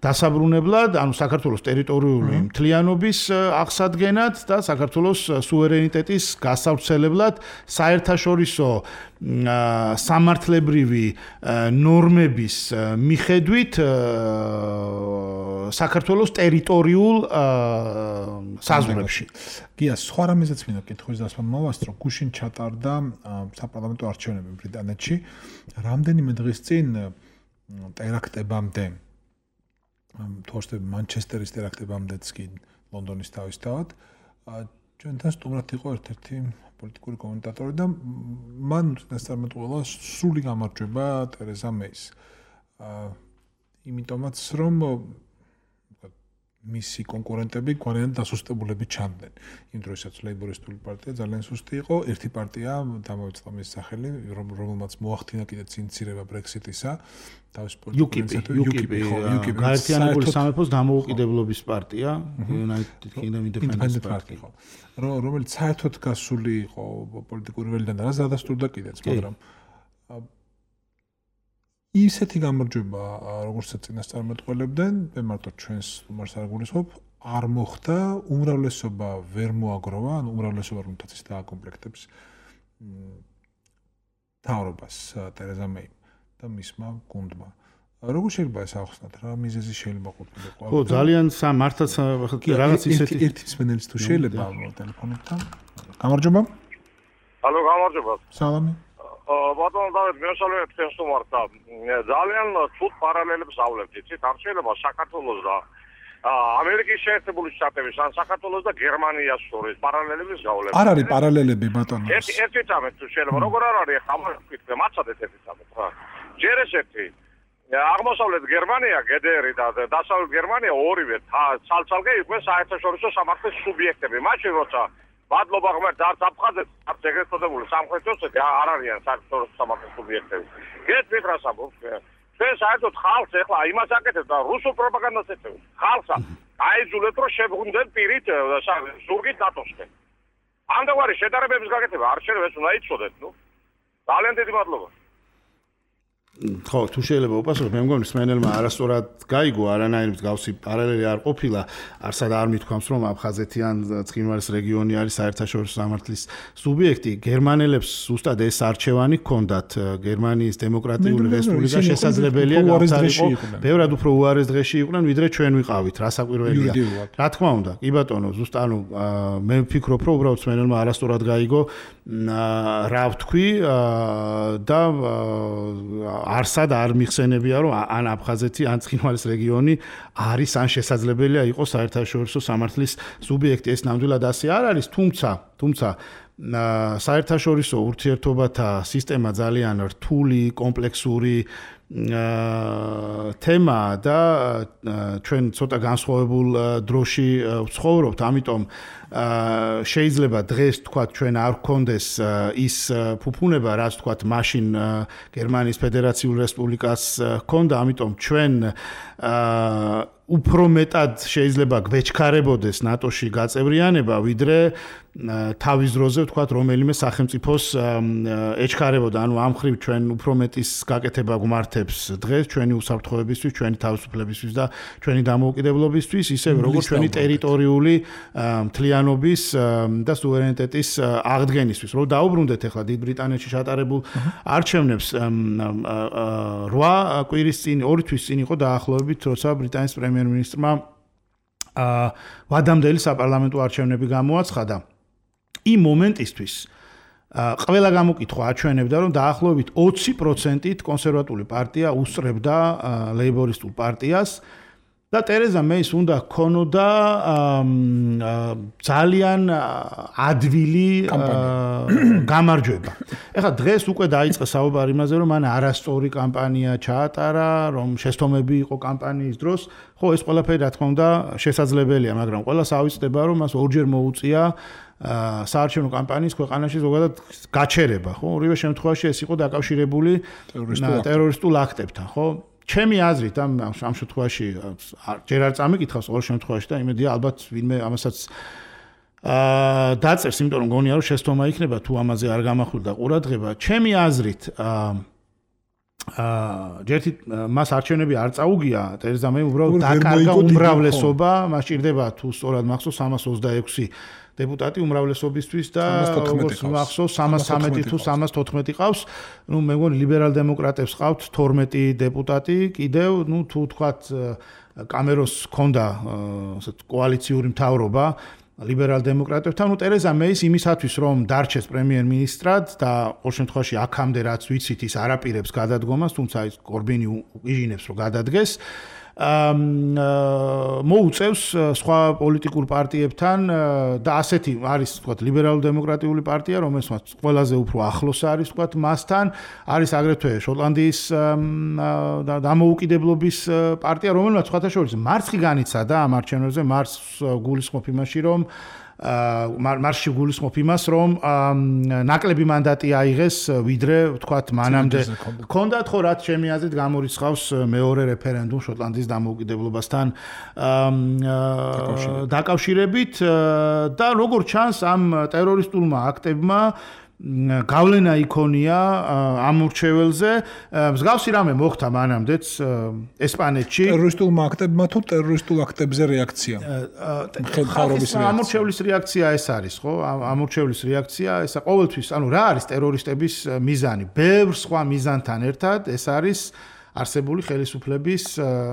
დასაბრუნებლად, ანუ საქართველოს ტერიტორიული მთლიანობის აღსადგენად და საქართველოს სუვერენიტეტის გასავრცელებლად საერთაშორისო სამართლებრივი ნორმების მიხედვით საქართველოს ტერიტორიულ საზღვრებში. გია, სხვა რამეზეც მინდა კითხვის დასმა მოვასწრო, გუშინ ჩატარდა საპარლამენტო არჩევნები ბრიტანეთში. რამდენიმე დღის წინ ტერაქტებამდე, თორსტე მანჩესტერის ტერაქტებამდეც კი ლონდონის თავისთავად, ჩვენთან სტუმრად იყო ერთ-ერთი პოლიტიკური კომენტატორი და მან უწინასწარმეტ ყველა სრული გამარჯვება ტერეზა მეის. იმიტომაც რომ მისი კონკურენტები გვარიან დასუსტებულები ჩანდნენ. იმ დროისაც ლეიბორისტული პარტია ძალიან სუსტი იყო, ერთი პარტია დამოიწყო მის სახელი, რომელმაც მოახდინა კიდე წინცირება ბრექსიტისა, თავის პოლიტიკურისათვის UKIP, UKIP, გაერთიანებული სამეფოს დამოუკიდებლობის პარტია, United Kingdom Independence Party, რომელიც საერთოდ გასული იყო პოლიტიკური ველიდან და რაც დადასტურდა კიდეც, მაგრამ ისეთი გამარჯვება, როგორცაც წინასწარმეტყველებდნენ, მე მარტო ჩვენს სტუმარს არ გულისხმობ, არ მოხდა, უმრავლესობა ვერ მოაგროვა, ანუ უმრავლესობა რომ თაც ის დააკომპლექტებს მთავრობას ტერეზა მეიმ და მისმა გუნდმა. როგორ შეიძლება ეს ახსნათ, რა მიზეზი შეიძლება ყოფილიყო? ხო, ძალიან მართაც რაღაც ისეთი ერთი მსმენელის თუ შეიძლება ტელეფონთან. გამარჯობა. ალო, გამარჯობა. სალამი. ბატონო დავით, მეშალეთ თქვენ სტუმარს და ძალიან ცუდ პარალელებს ავლებთ, იცით, არ შეიძლება საქართველოს და ამერიკის შეერთებული შტატების ან საქართველოს და გერმანიას შორის პარალელების გავლებთ. არ არის პარალელები ბატონო. ერთი ერთი წამეთ თუ შეიძლება, როგორ არ არის ახლა ვთქვი, მაცადეთ ერთი წამეთ რა. ჯერ ეს ერთი აღმოსავლეთ გერმანია, გედერი და დასავლეთ გერმანია ორივე ცალ-ცალკე იყვნენ საერთაშორისო სამართლის სუბიექტები. მაშინ როცა მადლობა ღმერთს არც აფხაზეთს, არც ეგრეთ წოდებული სამხრეთ ოსეთი არ არიან საერთაშორისო სამართლის სუბიექტები. გეტყვით რას ამბობ ჩვენ? ჩვენ საერთოდ ხალხს ეხლა იმას აკეთებთ და რუსულ პროპაგანდას ეწევთ. ხალხს აიძულეთ რომ შეგვუნდეთ პირით ზურგით ნატოსკენ. ამდაგვარი შედარებების გაკეთება არ შეიძლება ეს უნდა იცოდეთ, ნუ. ძალიან დიდი მადლობა. ხო, თუ შეიძლება უპასუხო, მე მგონი სმენელმა არასწორად გაიგო, არანაირი მსგავსი პარალელი არ ყოფილა, არსად არ მithქვამს, რომ აფხაზეთი ან ცხინვალის რეგიონი არის საერთაშორისო სამართლის სუბიექტი. გერმანელებს ზუსტად ეს არჩევანი ჰქონდათ, გერმანიის დემოკრატიული რესპუბლიკა შესაძლებელია გამთარიყო, ბევრად უფრო უარეს დღეში იყვნენ, ვიდრე ჩვენ ვიყავით, რა საკვირველია. რა თქმა უნდა, კი ბატონო, ზუსტად ანუ მე ვფიქრობ, რომ უბრალოდ სმენელმა არასწორად გაიგო, რა ვთქვი და არსად არ მიხსენებია, რომ ან აფხაზეთი, ან ცხინვალის რეგიონი არის ან შესაძლებელია იყოს საერთაშორისო სამართლის სუბიექტი. ეს ნამდვილად ასე არ არის, თუმცა, თუმცა საერთაშორისო ურთიერთობათა სისტემა ძალიან რთული, კომპლექსური თემა და ჩვენ ცოტა განსხვავებულ დროში ვცხოვრობთ, ამიტომ შეიძლება დღეს თქვათ ჩვენ არ გქონდეს ის ფუფუნება, რაც თქვათ მაშინ გერმანიის ფედერაციულ რესპუბლიკას ჰქონდა, ამიტომ ჩვენ უფრო მეტად შეიძლება გვეჩქარებოდეს ნატოში გაწევრიანება, ვიდრე თავის დროზე ვთქვათ რომელიმე სახელმწიფოს ეჩქარებოდა. ანუ ამ ხრივ ჩვენ უფრო მეტის გაკეთება გვმართებს დღეს ჩვენი უსაფრთხოებისთვის, ჩვენი თავისუფლებისთვის და ჩვენი დამოუკიდებლობისთვის, ისევე როგორც ჩვენი ტერიტორიული მთლიანობის და სუვერენიტეტის აღდგენისთვის. რომ დაუბრუნდეთ ახლა დიდ ბრიტანეთში ჩატარებულ არჩევნებს რვა კვირის წინ, ორი თვის წინ იყო დაახლოებით, როცა ბრიტანეთის პრემიერ-მინისტრმა ვადამდელი საპარლამენტო არჩევნები გამოაცხადა. იმ მომენტისთვის ყველა გამოკითხვა აჩვენებდა, რომ დაახლოებით ოცი პროცენტით კონსერვატული პარტია უსწრებდა ლეიბორისტულ პარტიას და ტერეზა მეის უნდა ჰქონოდა ძალიან ადვილი გამარჯვება. ეხლა დღეს უკვე დაიწყე საუბარი იმაზე, რომ მან არასწორი კამპანია ჩაატარა, რომ შეცდომები იყო კამპანიის დროს. ხო, ეს ყველაფერი რა თქმა უნდა შესაძლებელია, მაგრამ ყველას ავიწყდება, რომ მას ორჯერ მოუწია საარჩევნო კამპანიის ქვეყანაში ზოგადად გაჩერება, ხო? ორივე შემთხვევაში ეს იყო დაკავშირებული ტერორისტულ აქტებთან, ხო? ჩემი აზრით ამ ამ შემთხვევაში ჯერ არ წამიკითხავს ყოველ შემთხვევაში და იმედია ალბათ ვინმე ამასაც აა დაწერს, იმიტომ რომ გონია რომ შეცდომა იქნება თუ ამაზე არ გამახვილდა ყურადღება. ჩემი აზრით აა ჯერთი მას არჩევნები არ წაუგია, ტერეზა მე უბრალოდ დაკარგა უმრავლესობა, მას ჭირდება თუ სწორად მახსოვს სამას ოცდაექვსი დეპუტატი უმრავლესობისთვის და როგორც მახსოვს სამას ცხრამეტი თუ სამას თოთხმეტი ყავს. ნუ მე მგონი ლიბერალ-დემოკრატებს ყავთ თორმეტი დეპუტატი, კიდევ ნუ თუ თქვათ კამეროს ჰქონდა ასეთ კოალიციური მთავრობა ლიბერალ-დემოკრატებთან, ნუ ტერეზა მეის იმისათვის რომ დარჩეს პრემიერ-მინისტრად და ყოველ შემთხვევაში აქამდე რაც ვიცით ის არ აპირებს გადადგომას, თუმცა ის კორბინი იჟინებს რომ გადადგეს. მოუწევს სხვა პოლიტიკურ პარტიებთან და ასეთი არის თქვათ ლიბერალურ-დემოკრატიული პარტია, რომელსაც ყველაზე უფრო ახლოს არის თქვათ მასთან, არის აგრეთვე შოტლანდიის დამოუკიდებლობის პარტია, რომელსაც სხვათა შორის მარცხი განიცადა ამ არჩევნებზე, მარცხს გულისხმობ იმაში, რომ მარში გულისხმობ იმას, რომ ნაკლები მანდატი აიღეს, ვიდრე ვთქვათ მანამდე ჰქონდათ, ხო რაც ჩემი აზრით გამორიცხავს მეორე რეფერენდუმ შოტლანდიის დამოუკიდებლობასთან დაკავშირებით და როგორც ჩანს ამ ტერორისტულმა აქტებმა გავლენა იქონია ამორჩეველზე. მსგავსი რამე მოხდა მანამდეც ესპანეთში. ტერორისტულმა აქტებმა თუ ტერორისტულ აქტებზე რეაქცია? ხალხის ამორჩევლის რეაქცია ეს არის, ხო? ამორჩევლის რეაქცია, ესა ყოველთვის, ანუ რა არის ტერორისტების მიზანი? ბევრ სხვა მიზანთან ერთად ეს არის არსებული ხელისუფლების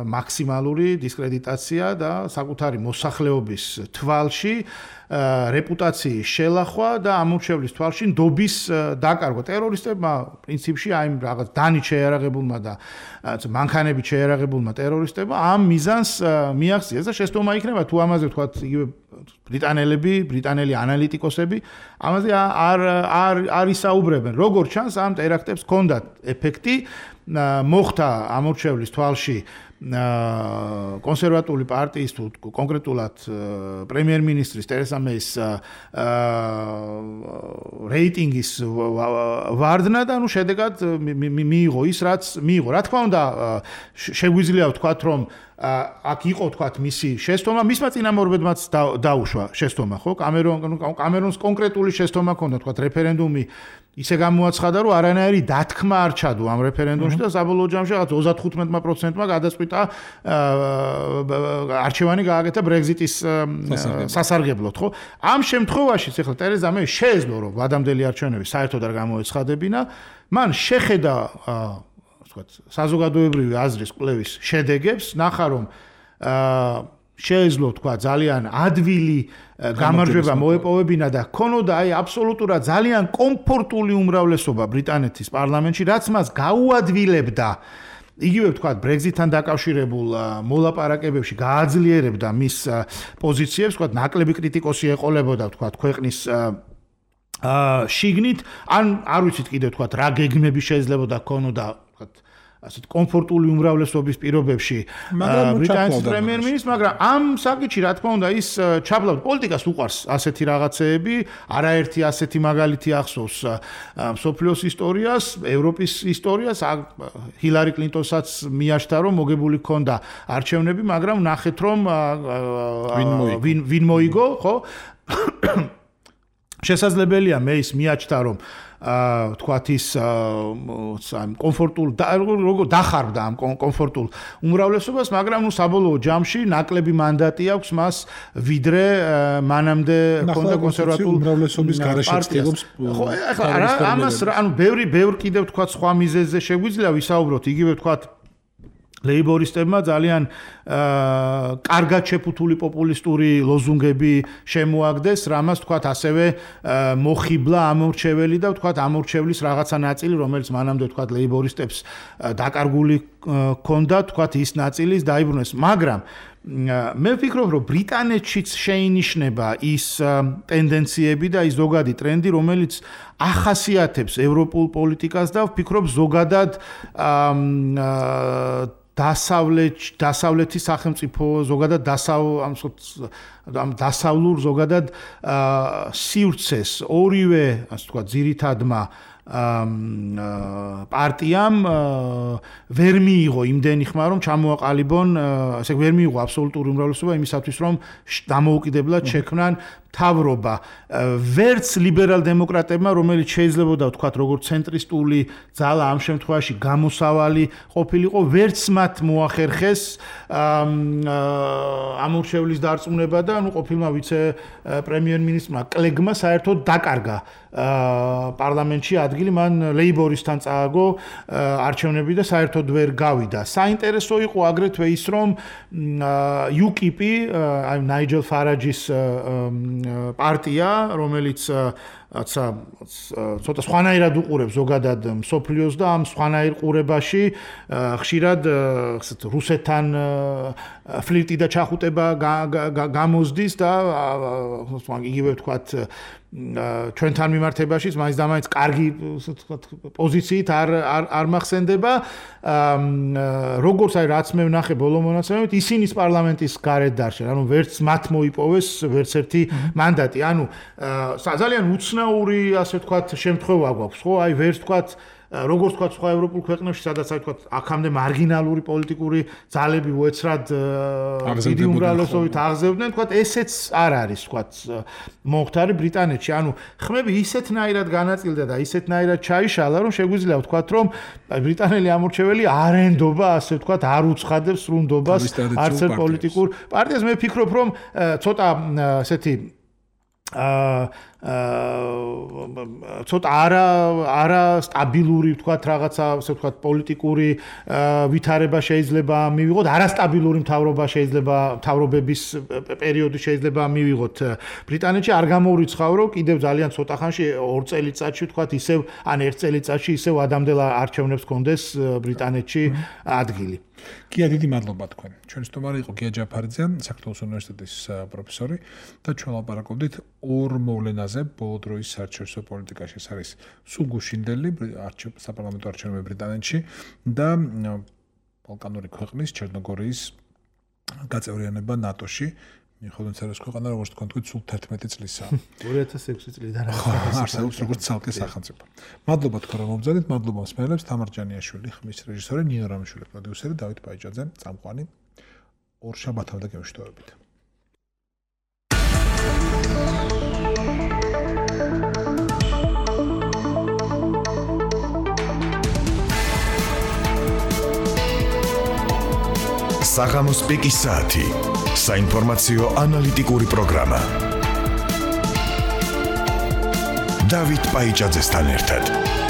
მაქსიმალური დისკრედიტაცია და საკუთარი მოსახლეობის თვალში რეპუტაციის შელახვა და ამორჩევლის თვალში ნდობის დაკარგვა. ტერორისტებმა პრინციპში აი რაღაც დანით შეიარაღებულმა და მანქანებით შეიარაღებულმა ტერორისტებმა ამ მიზანს მიაღწიეს და შეცდომა იქნება თუ ამაზე ვთქვათ იგივე ბრიტანელები, ბრიტანელი ანალიტიკოსები ამაზე არ არ არ ისაუბრებენ. როგორც ჩანს ამ ტერაქტებს ჰქონდათ ეფექტი, მოხდა ამორჩევლის თვალში კონსერვატული პარტიის თუ კონკრეტულად პრემიერ-მინისტრის ტერეზა მეის რეიტინგის ვარდნა და ნუ შედეგად მიიღო ის რაც მიიღო. რა თქმა უნდა შეგვიძლია ვთქვათ რომ აქ იყო თქვათ მისი შეცდომა, მისმა წინამორბედმაც დაუშვა შეცდომა, ხო? კამერონ კამერონს კონკრეტული შეცდომა ჰქონდა თქვათ რეფერენდუმი ისე გამოაცხადა, რომ არანაირი დათქმა არ ჩადო ამ რეფერენდუმში და საბოლოო ჯამში რაღაც ოცდათხუთმეტ პროცენტმა გადაწყვიტა არჩევანი გააკეთა Brexit-ის სასარგებლოდ, ხო? ამ შემთხვევაში ახლა ტერეზა მე შეეძლო რომ ვადამდელი არჩევნები საერთოდ არ გამოეცხადებინა, მან შეხედა ვთქვათ, საზოგადოებრივი აზრის კვლევის შედეგებს, ნახა რომ შეეძლო თქვა ძალიან ადვილი გამარჯვება მოეპოვებინა და ქონოდა აი აბსოლუტურად ძალიან კომფორტული უმრავლესობა ბრიტანეთის პარლამენტში, რაც მას გაუადვილებდა იგივე ვთქვათ Brexit-თან დაკავშირებულ მოლაპარაკებებში გააძლიერებდა მის პოზიციებს, ვთქვათ, ნაკლები კრიტიკოსი ეყოლებოდა ვთქვათ ქვეყნის აა შიგნით, ან არ ვიცით კიდევ ვთქვათ რა გეგმები შეიძლებოდა ქონოდა ვთქვათ ასეთ კომფორტული უმრავლესობის პირობებში ბრიტანეთის პრემიერ-მინისტრს, მაგრამ ამ საკითხში რა თქმა უნდა ის ჩაბლავ პოლიტიკას უყარს ასეთი რაღაცეები, არაერთი ასეთი მაგალითი ახსოვს მსოფლიოს ისტორიას, ევროპის ისტორიას, ჰილარი კლინტონსაც მიაჩნდა რომ მოგებული ჰქონდა არჩევნები, მაგრამ ნახეთ რომ ვინ ვინ მოიგო, ხო? შესაძლებელია მეის მიაჩნდა რომ აა თქვათ ის ამ კომფორტულ როგორ დახარბდა ამ კომფორტულ უმრავლესობას, მაგრამ ნუ საბოლოო ჯამში ნაკლები მანდატი აქვს მას ვიდრე მანამდე ჰქონდა კონსერვატულ უმრავლესობის გარეშე ცდილობს. ხო, ახლა რა ამას ანუ ბევრი ბევრი კიდევ თქვათ სხვა მიზეზზე შეგვიძლია ვისაუბროთ, იგივე თქვათ ლეიბორისტებმა ძალიან აა კარგად შეფუთული პოპულისტური ლოზუნგები შემოაგდეს, რამაც თქვათ ასევე მოხიბლა ამორჩეველი და თქვათ ამორჩევლის რაღაცა ნაწილი, რომელიც მანამდე თქვათ ლეიბორისტებს დაკარგული ჰქონდა, თქვათ ის ნაწილის დაიბრუნეს, მაგრამ მე ვფიქრობ, რომ ბრიტანეთშიც შეინიშნება ის ტენდენციები და ის ზოგადი ტრენდი, რომელიც ახასიათებს ევროპულ პოლიტიკას და ვფიქრობ ზოგადად აა დასავლეთ დასავლეთის სახელმწიფო ზოგადად დასავლ ამ დასავლურ ზოგადად სივრცეს ორივე ასე ვთქვათ ძირითადმა პარტიამ ვერ მიიღო იმდენი ხმა რომ ჩამოაყალიბონ, ასე ვერ მიიღო აბსოლუტური უმრავლესობა იმისათვის რომ დამოუკიდებლად შექმნან თავრობა. ვერც ლიბერალ-დემოკრატებმა, რომელიც შეიძლებოდა ვთქვათ როგორც ცენტრისტული ძალა ამ შემთხვევაში გამოსავალი ყოფილიყო, ვერც მათ მოახერხეს ამორჩევლის დარწმუნება და ნუ ყოფილმა ვიცე პრემიერ-მინისტრმა კლეგმა საერთოდ დაკარგა პარლამენტში ადგილი, მან ლეიბორისტთან წააგო არჩევნები და საერთოდ ვერ გავიდა. საინტერესო იყო აგრეთვე ის, რომ იუკიპი, აი ნაიჯელ ფარაჯის პარტია, რომელიც აცა ცოტა სხვანაირად უყურებს ზოგადად მსოფლიოს და ამ სხვანაირ ყურებაში ხშირად რუსეთთან ფლირტი და ჩახუტება გამოზდის და იგივე ვთქვათ ჩვენთან მიმართებაშიც მაინც და მაინც კარგი პოზიციით არ არ მახსენდება. როგორც აი რაც მე ვნახე ბოლო მონაცემებით, ისინიც პარლამენტის გარეთ დარჩენ, ანუ ვერც მათ მოიპოვეს ვერც ერთი მანდატი. ანუ ძალიან უცნაური ასე ვთქვათ შემთხვევა გვაქვს, ხო? აი ვერც ვთქვათ როგორც ვთქვათ სხვა ევროპულ ქვეყნებში, სადაც აი ვთქვათ აქამდე მარგინალური პოლიტიკური ძალები უეცრად დიდი უმრავლესობით აღზევდნენ, ვთქვათ ესეც არ არის ვთქვათ მომხდარი ბრიტანეთში. ანუ ხმები ისეთნაირად განაწილდა და ისეთნაირად ჩაიშალა, რომ შეგვიძლია ვთქვათ, რომ ბრიტანელი ამორჩეველი არ ენდობა, ასე ვთქვათ, არ უცხადებს სრულნდობას არც ერთ პოლიტიკურ პარტიას. მე ვფიქრობ, რომ ცოტა ესეთი აა ცოტა არა არა სტაბილური ვთქვათ რაღაცა ასე ვთქვათ პოლიტიკური ვითარება შეიძლება მივიღოთ, არასტაბილური მთავრობა შეიძლება მთავრობების პერიოდი შეიძლება მივიღოთ ბრიტანეთში. არ გამოვრიცხავ რომ კიდევ ძალიან ცოტა ხანში ორ წელიწადში ვთქვათ ისევ ან ერთ წელიწადში ისევ ადამდელ არჩევნებს კონდეს ბრიტანეთში ადგილი. გია, დიდი მადლობა თქვენ. ჩვენი სტუმარი იყო გია ჯაფარიძე, საქართველოს უნივერსიტეტის პროფესორი და ჩვენ ლაპარაკობდით ორ მოვლენაზე ბოლო დროის საერთაშორისო პოლიტიკაში. ეს არის სულ გუშინდელი საპარლამენტო არჩევნები ბრიტანეთში და ბალკანური ქვეყნის ჩერნოგორიის გაწევრიანება ნატოში. მიუხედავად იმისა, რომ ქვეყანა როგორც თქვენ თქვით, სულ თერთმეტი წლისაა. ორი ათას ექვსი წლიდან არსებობს როგორც ცალკე სახელმწიფო. მადლობა თქვენ რომ მობრძანეთ, მადლობა მსმენელებს, თამარ ჯანიაშვილი, ხმის რეჟისორი, ნინო რამიშვილი, პროდიუსერი, დავით ბაიჯაძე, წამყვანი. ორ შაბათამდე გემშვიდობებით. საღამოს პიკის საათი. საინფორმაციო ანალიტიკური პროგრამა. დავით პაიჭაძესთან ერთად.